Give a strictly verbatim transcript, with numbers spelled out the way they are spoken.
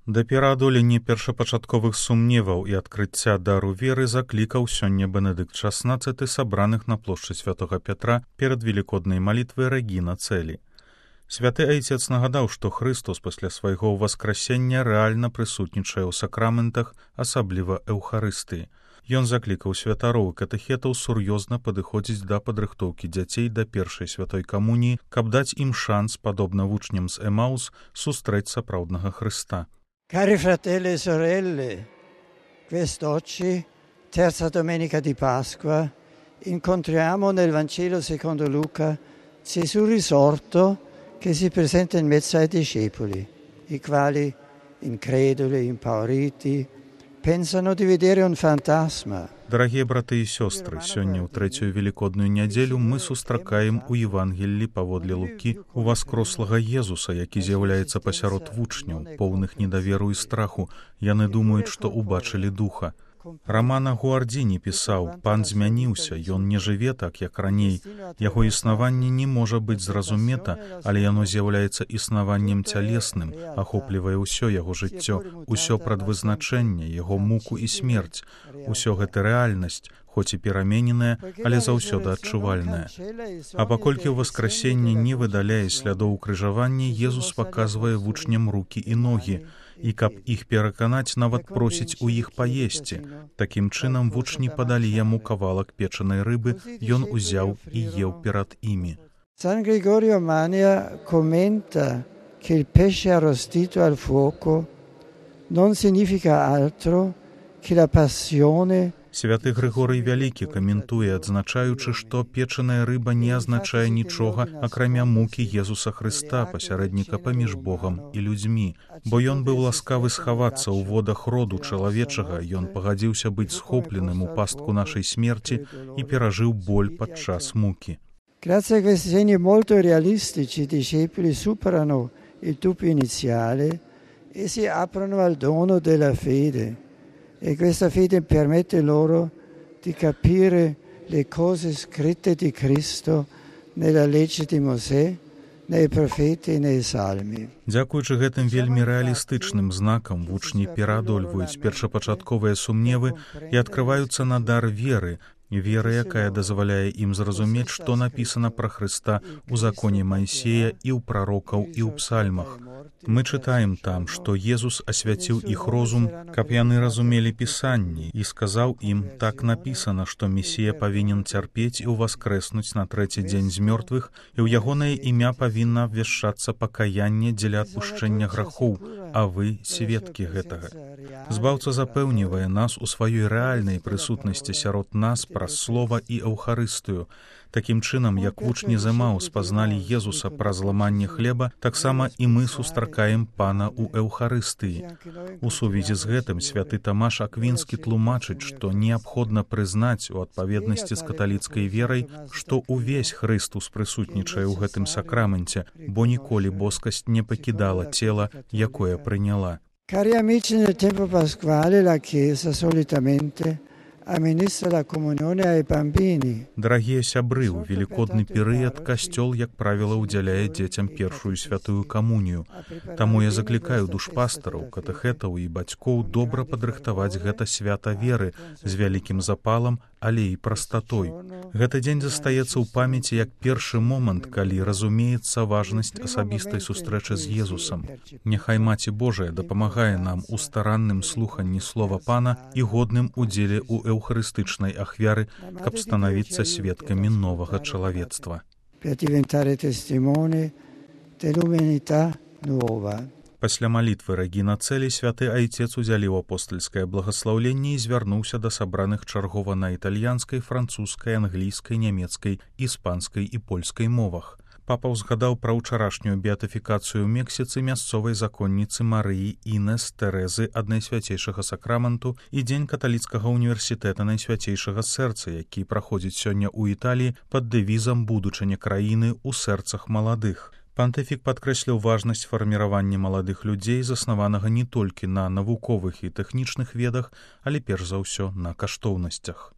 Да пераадолення першапачатковых сумневаў і адкрыцця дару веры заклікаў сёння Бенедыкт шаснаццаты сабраных на плошчы святога Пятра перад велікоднай малітвай Рэгіна Цэлі. Святы айцец нагадаў, што Хрыстос пасля свайго ўваскрасення рэальна прысутнічае ў сакраментах, асабліва Эўхарыстыі. Ён заклікаў святароў і катэхетаў сур'ёзна падыходзіць да падрыхтоўкі дзяцей да першай святой камуніі, каб даць ім шанс, падобна вучням з Эмаус, сустрэць сапраўднага Хрыста. Cari fratelli e sorelle, quest'oggi, terza domenica di Pasqua, incontriamo nel Vangelo secondo Luca Gesù risorto che si presenta in mezzo ai discepoli, i quali, increduli, impauriti, pensano di vedere un fantasma. Дарагія браты і сёстры, сёння ў трэцюю велікодную нядзелю мы сустракаем у Евангеллі паводле Лукі уваскрослага Езуса, які з'яўляецца пасярод вучняў, поўных недаверу і страху. Яны думаюць, што ўбачылі духа. Рамана Гуардзіні пісаў: «Пан змяніўся, ён не жыве так, як раней. Яго існаванне не можа быць зразумета, але яно з'яўляецца існаваннем цялесным, ахоплівае ўсё яго жыццё, усё прадвызначэнне, яго муку і смерць. Усё гэта рэальнасць, хоць і перамененая, але заўсёды адчувальная». А паколькі ўваскрасенне не выдаляе слядоў крыжавання, Езус паказвае вучням рукі і ногі, і каб іх пераканаць, нават просіць у іх паесці. Такім чынам вучні падалі яму кавалак печанай рыбы, ён узяў і еў перад імі. San Gregorio Mania commenta che il pesce arrostito al fuoco non significa altro che la passione. Святы Грыгорый Вялікі каментуе, адзначаючы, што печаная рыба не азначае нічога, акрамя мукі Езуса Хрыста, пасярэдніка паміж Богам і людзьмі. Бо ён быў ласкавы схавацца ў водах роду чалавечага, ён пагадзіўся быць схопленым у пастку нашай смерці і перажыў боль падчас мукі. Grazie a questi segni molto realistici, i discepoli superano il dubbio iniziale e si aprono al dono della fede. E questa fede permette loro di capire le cose scritte di Cristo nella legge di Mosè, nei profeti e nei salmi. Дзякуючы гэтым вельмі рэалістычным знакам вучні пераадольваюць першапачатковыя сумневы і адкрываюцца на дар веры, вера, якая дазваляе ім зразумець, што напісана пра Хрыста ў законе Майсея і ў прарокаў і ў псальмах. Мы чытаем там, што Езус асвяціў іх розум, каб яны разумелі Пісанні, і сказаў ім: «Так напісана, што Месія павінен цярпець і ўваскрэснуць на трэці дзень з мёртвых, і ў ягонае імя павінна абвяшчацца пакаянне дзеля адпушчэння грахоў, а вы сведкі гэтага». Збаўца запэўнівае нас у сваёй рэальнай прысутнасці сярод нас праз слова і Эўхарыстыю. Такім чынам, як вучні з Эмаус пазналі Езуса праз ламанне хлеба, таксама і мы сустракаем Пана ў Эўхарыстыі. У сувязі з гэтым святы Тамаш Аквінскі тлумачыць, што неабходна прызнаць у адпаведнасці з каталіцкай верай, што ўвесь Хрыстус прысутнічае ў гэтым сакраменце, бо ніколі боскасць не пакідала цела, якое прыняла. Cari amici, nel tempo pasquale la Chiesa solitamente amministra la comunione ai bambini. Дарагія сябры, у велікодны перыяд касцёл, як правіла, удзяляе дзецям першую святую камунію. Таму я заклікаю душпастараў, катэхетаў і бацькоў добра падрыхтаваць гэта свята веры з вялікім запалам, але і прастатой. Гэты дзень застаецца ў памяці як першы момант, калі разумеецца важнасць асабістай сустрэчы з Езусам. Няхай Маці Божая дапамагае нам у старанным слуханні слова Пана і годным удзеле ў эўхарыстычнай ахвяры, каб станавіцца сведкамі новага чалавецтва. Per diventare testimoni dell'umanità nuova. Пасля малітвы Рэгіна Цэлі святы айцец узялі ў апостальскае благаслаўленне і звярнуўся да сабраных чаргова на італьянскай, французскай, англійскай, нямецкай, іспанскай і польскай мовах. Папа ўзгадаў пра ўчарашнюю беатыфікацыю ў Мексіцы мясцовай законніцы Марыі Інес Тэрэзы ад Найсвяцейшага сакраменту і дзень каталіцкага універсітэта Найсвяцейшага сэрца, які праходзіць сёння ў Італіі пад дэвізам «Будучыня краіны ў сэрцах маладых». Пантыфік падкрэсліў важнасць фарміравання маладых людзей, заснаванага не толькі на навуковых і тэхнічных ведах, але перш за ўсё на каштоўнасцях.